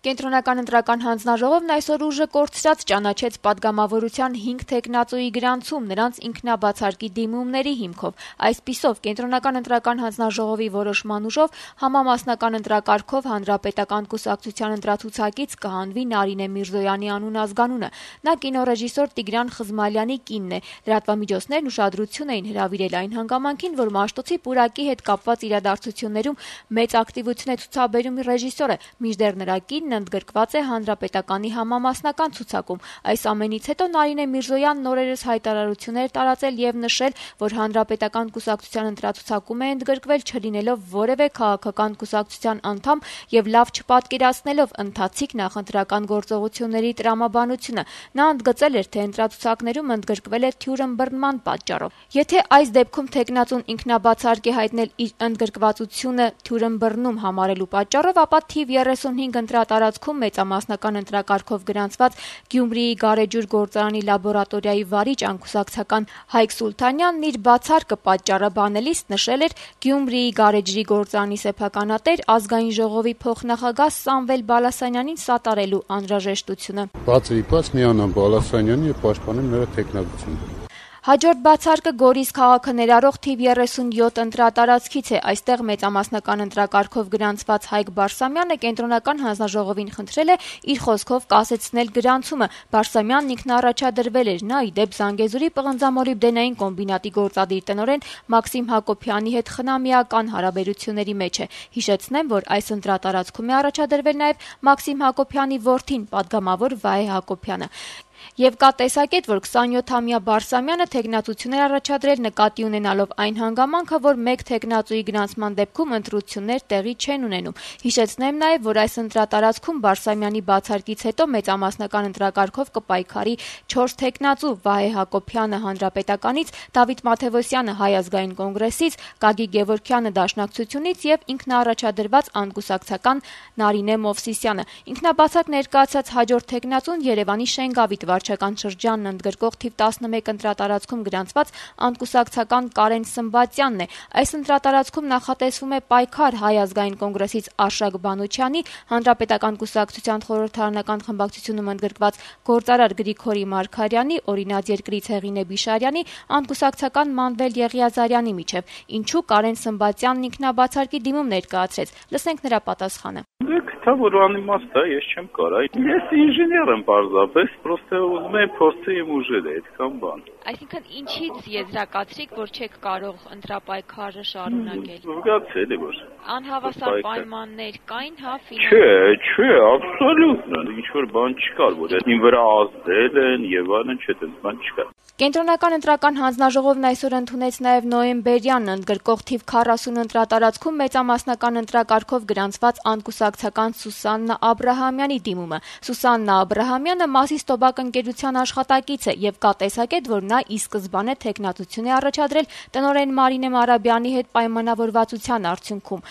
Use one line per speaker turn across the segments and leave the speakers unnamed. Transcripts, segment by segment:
Կենտրոնական ընտրական հանձնաժողովն այսօր ուժը կորցրած ճանաչեց պատգամավորության 5 թեկնածուի գրանցում նրանց ինքնաբացարկի դիմումների հիմքով։ Այսպիսով, Կենտրոնական ընտրական հանձնաժողովի որոշման ուժով համամասնական ընտրակարգով Հանրապետական կուսակցության ընտրացուցակից կհանվի Նարինե Միրզոյանի անուն ազգանունը։ Նա կինոռեժիսոր Տիգրան Խզմալյանի կինն է։ Լրատվամիջոցներն ուշադրություն էին հրավիրել այն հանգամանքին, որ Մաշտոցի պուրակի հետ կապված իրադարձություններում մեծ ակտիվություն է ցուցաբերում ռեժիսորը, մինչդեռ նրա կինն ընդգրկված է Հանրապետականի համամասնական ցուցակում։ Այս ամենից հետո Նարինե Միրզոյանն օրերս հայտարարություններ տարածել եւ նշել, որ Հանրապետական կուսակցության ընտրացուցակում է ընդգրկվել չլինելով որևէ քաղաքական կուսակցության անդամ եւ լավ չպատկերացնելով ընթացիկ նախընտրական գործողությունների տրամաբանությունը։ Նա ընդգծել էր, թե ընտրացուցակներում ընդգրկվել է թյուրըմբռնման պատճառով։ Եթե այս դեպքում թեկնածուն ինքնաբացարկ է հայտնել իր ընդգրկվածությունը թյուրըմբռնում համարելու պատճառով, ապա թիվ 35 ընտրատարածքում մեծամասնական ընտրակարգով գրանցված Գյումրիի Գարեջուր գործարանի լաբորատորիայի վարիչ անկուսակցական Հայկ Սուլթանյանն իր բացարկը պատճառաբանելիս նշել էր Գյումրիի Գարեջրի գործարանի սեփականատեր ազգային ժողովի փոխնախագահ Սամվել Բալասանյանին սատարելու անհրաժեշտությունը։
Բացվիպած միանան Բալասանյանին եւ պաշտպանեմ նրա թեկնածությունը։
Հաջորդ բացարկը Գորիս քաղաքը ներառող թիվ 37 ընտրատարածքից է։ Այստեղ մեծամասնական ընտրակարգով գրանցված Հայկ Բարսամյանը Կենտրոնական հանձնաժողովին խնդրել է իր խոսքով կասեցնել գրանցումը։ Բարսամյանն ինքնաառաջադրվել էր։ Նա, ի դեպ, Զանգեզուրի պղնձամոլիբդենային կոմբինատի գործադիր տնօրեն Մաքսիմ Հակոբյանի հետ խնամիական հարաբերությունների մեջ է։ Հիշեցնեմ, որ այս ընտրատարածքում է առաջադրվել նաև Մաքսիմ Հակոբյանի որդին, պատգամավոր Վահե Հակոբյանը։ Եվ կա տեսակետ, որ 27-ամյա Բարսամյանը թեկնածություն էր առաջադրել նկատի ունենալով այն հանգամանքը, որ մեկ թեկնածուի գրանցման դեպքում ընտրություններ տեղի չեն ունենում։ Հիշեցնեմ նաև, որ այս ընտրատարածքում Բարսամյանի բացարկից հետո մեծամասնական ընտրակարգով կպայքարի 4 թեկնածու՝ Վահե Հակոբյանը Հանրապետականից, Դավիթ Մաթևոսյանը Հայ ազգային կոնգրեսից, Գագիկ Գևորգյանը Դաշնակցությունից եւ ինքնաառաջադրված անկուսակցական Նարինե Մովսիսյանը։ Ինքնաբացարկ ներկայացած հաջորդ թեկնածուն Երևանի Շենգավիթ վարչական շրջանն ընդգրկող թիվ 11 ընտրատարածքում գրանցված անկուսակցական Կարեն Սմբատյանն է։ Այս ընտրատարածքում նախատեսվում է պայքար Հայ ազգային կոնգրեսից Արշակ Բանուչյանի, Հանրապետական կուսակցության խորհրդարանական խմբակցությունում ընդգրկված գործարար Գրիգորի Մարգարյանի, Օրինաց երկրից Հեղինե Բիշարյանի, անկուսակցական Մանվել Եղիազարյանի միջև։ Ինչու Կարեն Սմբատյանն ինքնաբացարկի դիմում ներկայացրեց։ Լսենք նրա պատասխանը։
Դա որ անիմաստ է, ես չեմ կարող։ Ես ինժեներ եմ պարզապես, պրոստը ուզում եմ փորձել իմ ուժերը, այդքան բան։
Այսինքն ինչից եզրակացրիք, որ չեք կարող ընտրապայքարը շարունակել։
Զգացել է որ
անհավասար պայմաններ կային, հա,
Չէ, աբսոլյուտն, ինչ որ բան չկար, որ ին վրա ազդել են եւ այլն, չէ, այդպես բան չկա։
Կենտրոնական ընտրական հանձնաժողովն այսօր ընդունեց նաև նոյեմբերյանն ընդգրկող թիվ 40 ընտրատարածքում մեծամասնական ընտրակարգով գրանցված անկուսակցական Սուսաննա Աբրահամյանի դիմումը։ Սուսաննա Աբրահամյանը Մասիս Տոբակ ընկերության աշխատակից է եւ կա տեսակետ, որ նա ի սկզբանե թեկնածություն է առաջադրել տնօրեն Մարինե Մարաբյանի հետ պայմանավորվածության արդյունքում։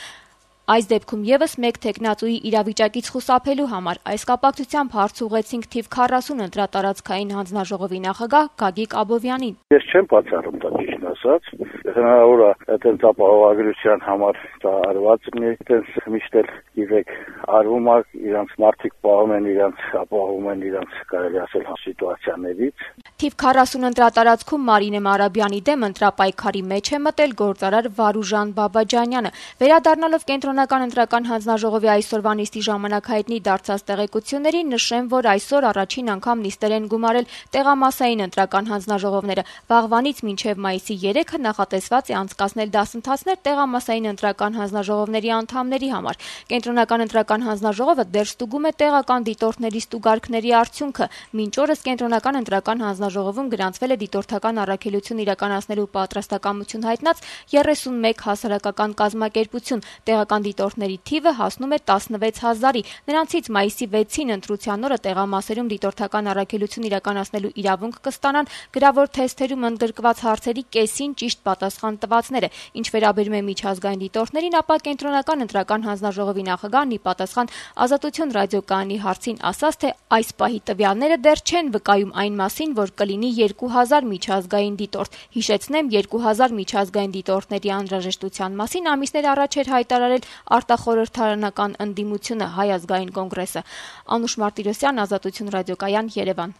Այս դեպքում եւս մեկ թեկնածուի իրավիճակից խուսափելու համար այս կապակցությամբ հարց ուղղեցինք թիվ 40 ընտրատարածքային հանձնաժողովի նախագահ Գագիկ Աբովյանին։
Ես չեմ բացառում դա ճիշտ ասած, հնարավոր է այդպես ապահովագրության համար դա արված լինի, այդպես միշտ էլ գիտեք արվում է, իրանց մարդիկ պահում են, իրանց ապահովում են իրանց կարելի ասել սիտուացիաներից։
Թիվ 40 ընտրատարածքում Մարինե Մարաբյանի դեմ ընտրապայքարի մեջ է մտել գործարար Վարուժան Բաբաջանյանը։ Վերադառնալով Կենտրոնական ընտրական հանձնաժողովի այսօրվա նիստի ժամանակ հայտնի դարձած տեղեկություններին, նշեմ, որ այսօր առաջին անգամ նիստեր են գումարել տեղամասային ընտրական հանձնաժողովները։ Վաղվանից մինչև մայիսի 3-ը նախատեսված է անցկացնել դասընթացներ տեղամասային ընտրական հանձնաժողովների անդամների համար։ Կենտրոնական ընտրական հանձնաժողովը դեռ ստուգում է տեղական դիտորդների ստուգարքների արդյունքը։ Մինչ օրս Կենտրոնական ընտրական հանձնաժողովում գրանցվել է դիտորդական առաքելություն իրականացնելու պատրաստակամություն հայտնած 31 հասարակական կազմակերպություն։ Տեղական դիտորդների թիվը հասնում է 16000-ի։ Նրանցից մայիսի 6-ին ընտրության օրը տեղամասերում դիտորդական առաքելություն իրականացնելու իրավունք կստանան գրավոր թեստերում ընդգրկված հարցերի կեսին ճիշտ պատասխան պատասխան տվածները։ Ինչ վերաբերում է միջազգային դիտորդներին, ապա կենտրոնական ընտրական հանձնաժողովի նախագահն ի պատասխան Ազատություն ռադիոկայանի հարցին ասաց, թե այս պահի տվյալները դեռ չեն վկայում այն մասին, որ կլինի 2000 միջազգային դիտորդ։ Հիշեցնեմ, 2000 միջազգային դիտորդների անհրաժեշտության մասին ամիսներ առաջ էր հայտարարել արտախորհրդարանական ընդդիմությունը Հայ ազգային կոնգրեսը։ Անուշ Մարտիրոսյան, Ազատություն ռադիոկայան, Երևան։